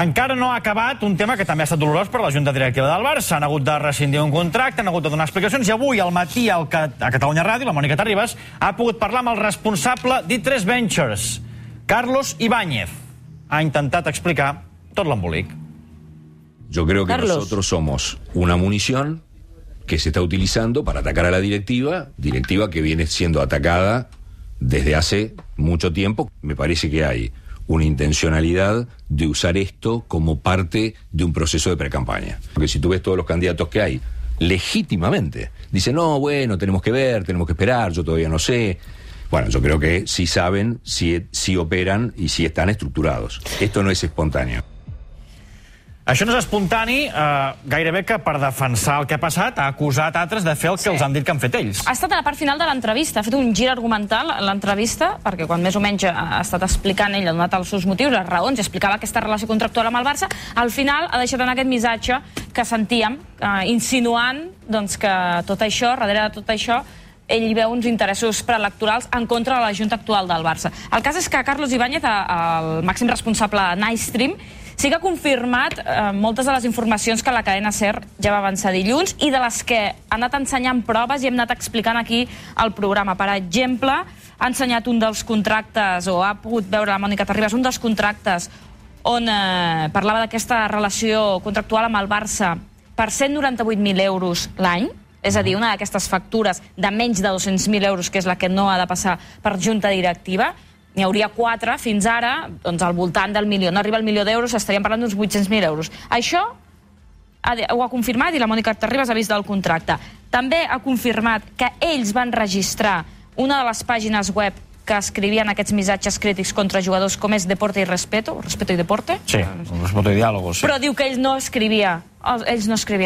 Encara no ha acabat un tema que també ha estat dolorós per la Junta Directiva del Barça. Han hagut de rescindir un contracte, han hagut de donar explicacions, i avui al matí a Catalunya Ràdio, la Mònica Terribas ha pogut parlar amb el responsable d'I3 Ventures, Carlos Ibáñez. Ha intentat explicar tot l'embolic. Yo creo que nosotros somos una munición que se está utilizando para atacar a la directiva que viene siendo atacada desde hace mucho tiempo. Me parece que hay una intencionalidad de usar esto como parte de un proceso de precampaña. Porque si tú ves todos los candidatos que hay, legítimamente, dicen, no, bueno, tenemos que ver, tenemos que esperar, yo todavía no sé. Bueno, yo creo que sí saben, sí operan y sí están estructurados. Esto no es espontáneo. Això no és espontani, gairebé que per defensar el que ha passat ha acusat altres de fer el que els han dit que han fet ells. Ha estat a la part final de l'entrevista, ha fet un gir argumental l'entrevista, perquè quan més o menys ha estat explicant ell, ha donat els seus motius, les raons, i explicava aquesta relació contractual amb el Barça, al final ha deixat anar aquest missatge que sentíem, insinuant que tot això, darrere de tot això, ell hi veu uns interessos preelectorals en contra de la Junta actual del Barça. El cas és que Carlos Ibáñez, el màxim responsable de Nightstream, sí que ha confirmat moltes de les informacions que la cadena SER ja va avançar dilluns i de les que ha anat ensenyant proves i hem anat explicant aquí al programa. Per exemple, ha ensenyat un dels contractes, o ha pogut veure la Mònica Terribas, un dels contractes on parlava d'aquesta relació contractual amb el Barça per 198.000 euros l'any, és a dir, una d'aquestes factures de menys de 200.000 euros, que és la que no ha de passar per junta directiva. N'hi hauria 4 fins ara, doncs al voltant del milió. No arriba al milió d'euros, estaríem parlant d'uns 800.000 euros. Això ho ha confirmat i la Mònica Terribas ha vist del contracte. També ha confirmat que ells van registrar una de les pàgines web que escrivien aquests missatges crítics contra jugadors com és Deporte y Respeto, Respeto y Deporte. Sí, Respeto y Diálogo, sí. Però diu que ells no escrivien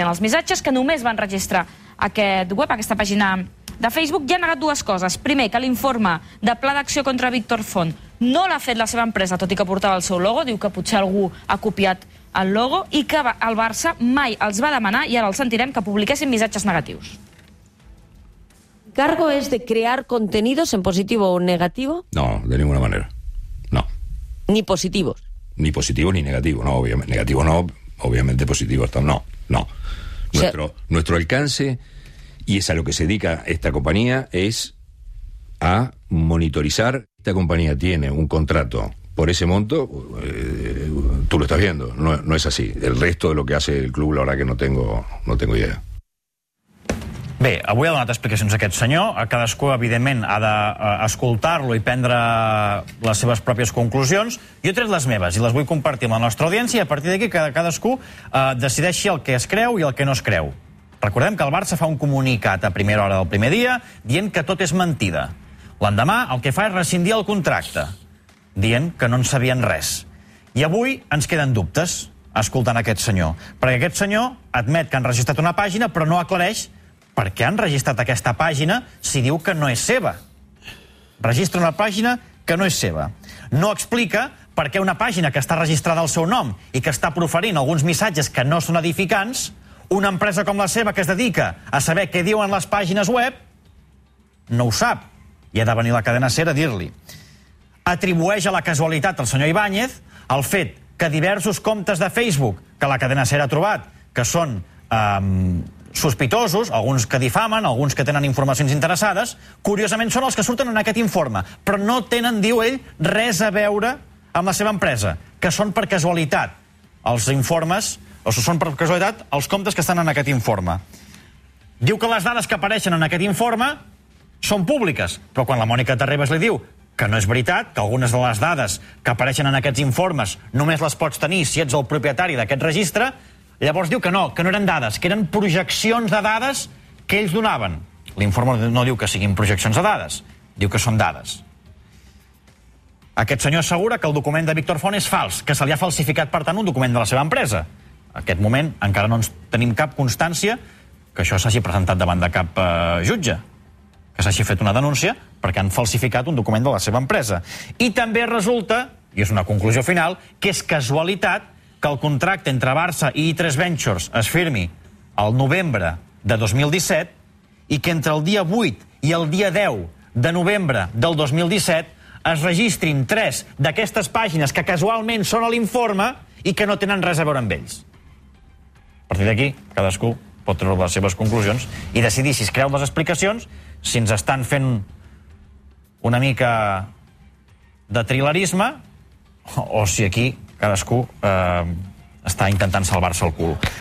els missatges, que només van registrar aquest web, aquesta pàgina de Facebook. Ja ha negat dues coses. Primer, que l'informe de pla d'acció contra Víctor Font no l'ha fet la seva empresa, tot i que portava el seu logo. Diu que potser algú ha copiat el logo i que el Barça mai els va demanar, i ara els sentirem, que publiquessin missatges negatius. ¿El cargo es de crear contenidos en positivo o negativo? No, de ninguna manera. No. ¿Ni positivos? Ni positivos ni negativos. No, obviamente. Negativos no, obviamente positivos. No. Nuestro alcance, y es a lo que se dedica esta compañía, es a monitorizar. Esta compañía tiene un contrato por ese monto, tú lo estás viendo, no es así. El resto de lo que hace el club, la verdad que no tengo idea. Bé, avui ha donat explicacions a aquest senyor. Cadascú, evidentment, ha d'escoltar-lo i prendre les seves pròpies conclusions. Jo he tret les meves i les vull compartir amb la nostra audiència, i a partir d'aquí cadascú decideixi el que es creu i el que no es creu. Recordem que el Barça fa un comunicat a primera hora del primer dia dient que tot és mentida. L'endemà el que fa és rescindir el contracte, dient que no en sabien res. I avui ens queden dubtes escoltant aquest senyor, perquè aquest senyor admet que han registrat una pàgina però no aclareix per què han registrat aquesta pàgina si diu que no és seva. Registra una pàgina que no és seva. No explica per què una pàgina que està registrada al seu nom i que està proferint alguns missatges que no són edificants, una empresa com la seva que es dedica a saber què diuen les pàgines web, no ho sap. I ha de venir la cadena SER a dir-li. Atribueix a la casualitat al senyor Ibáñez el fet que diversos comptes de Facebook que la cadena SER ha trobat, que són sospitosos, alguns que difamen, alguns que tenen informacions interessades, curiosament són els que surten en aquest informe, però no tenen, diu ell, res a veure amb la seva empresa, que són per casualitat els informes, o són per casualitat els comptes que estan en aquest informe. Diu que les dades que apareixen en aquest informe són públiques, però quan la Mònica Terribas li diu que no és veritat, que algunes de les dades que apareixen en aquests informes només les pots tenir si ets el propietari d'aquest registre, llavors diu que no eren dades, que eren projeccions de dades que ells donaven. L'informe no diu que siguin projeccions de dades, diu que són dades. Aquest senyor assegura que el document de Víctor Font és fals, que se li ha falsificat, per tant, un document de la seva empresa. En aquest moment encara no tenim cap constància que això s'hagi presentat davant de cap jutge, que s'hagi fet una denúncia perquè han falsificat un document de la seva empresa. I també resulta, i és una conclusió final, que és casualitat que el contracte entre Barça i I3 Ventures es firmi al novembre de 2017 i que entre el dia 8 i el dia 10 de novembre del 2017 es registrin 3 d'aquestes pàgines que casualment són a l'informe i que no tenen res a veure amb ells. A partir d'aquí, cadascú pot treure les seves conclusions i decidir si es creu les explicacions, si ens estan fent una mica de trilerisme o si aquí cadascú està intentant salvar-se el cul.